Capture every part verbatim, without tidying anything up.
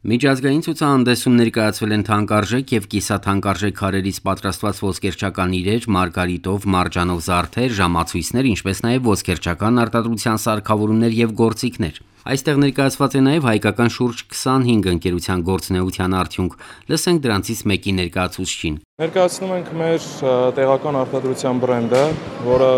Միջազգային ցուցահանդեսում ներկայացվել են թանկարժեք և կիսաթանկարժեք քարերից պատրաստված ոսկերչական իրեր, մարգարիտով, մարջանով զարդեր, ժամացույցներ, ինչպես նաև ոսկերչական արտադրության սարքավորումներ և գործիքներ։ Այստեղ ներկայացված է նաև հայկական շուրջ քսանհինգ ընկերության գործունեության արդյունք։ Լսենք դրանցից մեկի ներկայացուցչին։ Ներկայացնում ենք մեր տեղական արտադրության բրենդը, որը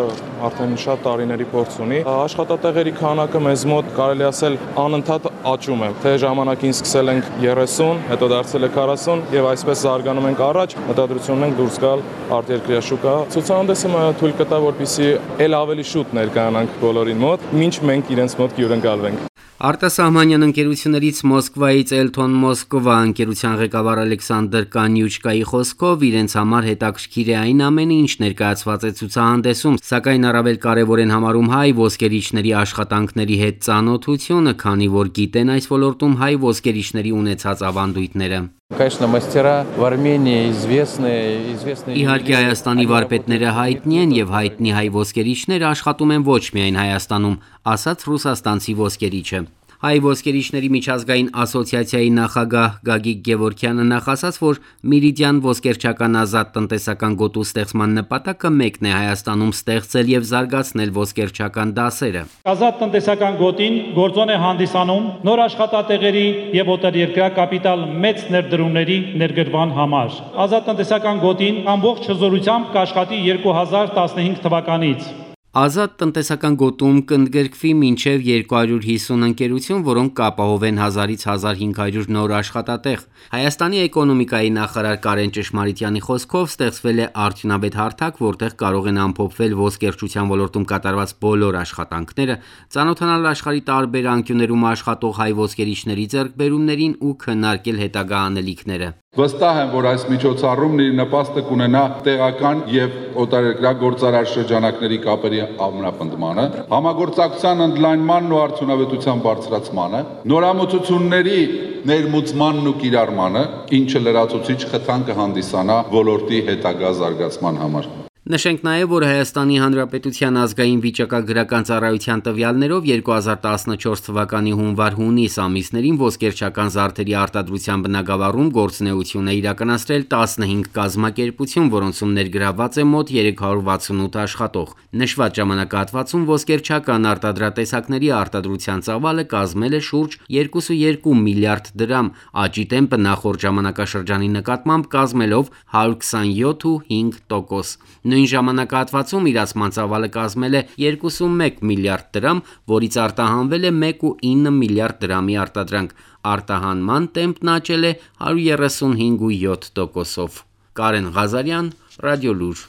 արդեն շատ տարիների փորձ ունի։ Աշխատատեղերի քանակը մեզ մոտ կարելի ասել անընդհատ աճում է։ Թե ժամանակին սկսել ենք երեսուն, հետո դարձել է քառասուն եւ այսպես զարգանում ենք առաջ, մտադրություն ունենք դուրս գալ արտերկրյա շուկա։ Ցուցահանդեսը թույլ կտա, որպեսզի ել ավելի շուտ ներկայանանք բոլորին մոտ, մինչ մենք իրենց մոտ հյուրընկալվենք։ Արտասահմանյան ընկերություններից Մոսկվայից Elton Moskva ընկերության ղեկավար Ալեքսանդր Կանյուչկայի խոսքով իրենց համար հետաքրքիր է այն ամենը, ինչ ներկայացված է ցուցահանդեսում, սակայն առավել կարևոր են համարում հայ ոսկերիչների աշխատանքների հետ ծանոթությունը, քանի որ գիտեն այս ոլորտում հայ ոսկերիչների ունեցած ավանդույթները։ Իհարկե Հայաստանի վարպետները հայտնի են եւ հայտնի հայ ոսկերիչները աշխատում են ոչ միայն Հայաստանում, ասաց ռուսաստանցի ոսկերիչը։ Հայ ոսկերիչների միջազգային ասոցիացիայի նախագահ Գագիկ Գևորգյանը նախ ասաց, որ Միրիդյան ոսկերչական ազատ տնտեսական գոտու ստեղծման նպատակը մեկն է Հայաստանում ստեղծել եւ զարգացնել ոսկերչական դասերը։ Ազատ տնտեսական գոտին գործոն է հանդիսանում նոր աշխատատեղերի եւ օտարերկրյա կապիտալ մեծ ներդրումների ներգրավման համար։ Ազատ տնտեսական գոտին ամբողջ հզորությամբ կաշխատի երկու հազար տասնհինգ թվականից։ Ազատ տնտեսական գոտում կընդգրկվի մինչև երկու հարյուր հիսուն ընկերություն, որոնք կապահովեն հազարից հազար հինգ հարյուր նոր աշխատատեղ։ Հայաստանի էկոնոմիկայի նախարար Կարեն Ճշմարիտյանի խոսքով ստեղծվել է արդյունավետ հարթակ, որտեղ կարող են ամփոփվել ոսկերչության ոլորտում կատարված բոլոր աշխատանքները, ծանոթանալ աշխարհի տարբեր անկյուններում աշխատող հայ ոսկերիչների ձեռքբերումներին ու քննարկել հետագա անելիքները։ Վստահ եմ, որ այս միջոցառումն իր նպաստը կունենա տեղական եւ օտարերկրյա գործարար շրջանակների կապերի ամրապնդմանը, համագործակցության ընդլայնմանն ու արդյունավետության բարձրացմանը, նորամուծությունների ներմուծմանն ու կիրառմանը, ինչը լրացուցիչ խթան կհանդիսանա ոլորտի հետագա զարգացման համար։ Նշենք նաև, որ Հայաստանի Հանրապետության ազգային վիճակագրական ծառայության տվյալներով երկու հազար տասնչորս թվականի հունվար-հունիս ամիսներին ոսկերչական զարդերի արտադրության բնագավառում գործունեություն է իրականացրել տասնհինգ կազմակերպություն, որոնցում ներգրավված է մոտ երեք հարյուր վաթսունութ աշխատող։ Նշված ժամանակահատվածում ոսկերչական արտադրատեսակների արտադրության ծավալը կազմել է շուրջ երկու կόμμα երկու միլիարդ դրամ, աճի տեմպը նախորդ ժամանակաշրջանի նկատմամբ կազմելով հարյուր քսանյոթ կόμμα հինգ տոկոս։ Նույն ժամանակահատվածում իրացման ծավալը կազմել է երկու կόμma մեկ միլիարդ դրամ, որից արտահանվել է մեկ կόμma ինը միլիարդ դրամի արտադրանք։ Արտահանման տեմպն աճել է հարյուր երեսունհինգ կόμma յոթ տոկոսով։ Կարեն Ղազարյան, Ռադիոլուր։